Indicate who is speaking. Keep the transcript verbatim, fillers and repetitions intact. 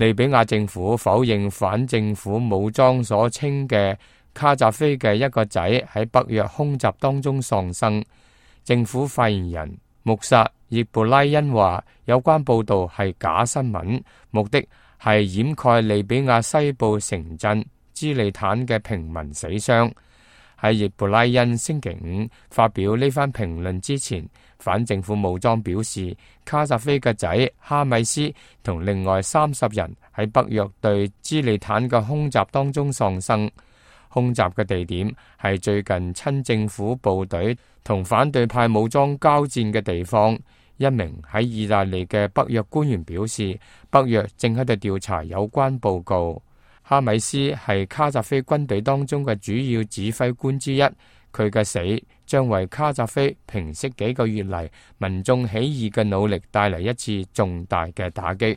Speaker 1: 利比亞政府否認反政府武裝所稱嘅卡扎菲嘅一個仔喺北約空襲當中喪生。政府發言人穆薩葉布拉恩話，有關報道係假新聞，目的係掩蓋利比亞西部城鎮茲利坦嘅平民死傷。喺葉布拉恩星期五發表呢番評論之前，反政府武裝表示，卡扎菲嘅仔哈米斯同另外三十人喺北約對茲利坦嘅空襲當中喪生。空襲嘅地點係最近親政府部隊同反對派武裝交戰嘅地方。一名喺意大利嘅北約官員表示，北約正喺度調查有關報告。哈米斯係卡扎菲軍隊當中嘅主要指揮官之一，佢嘅死將為卡扎菲平息幾個月嚟民眾起義嘅努力帶嚟一次重大嘅打擊。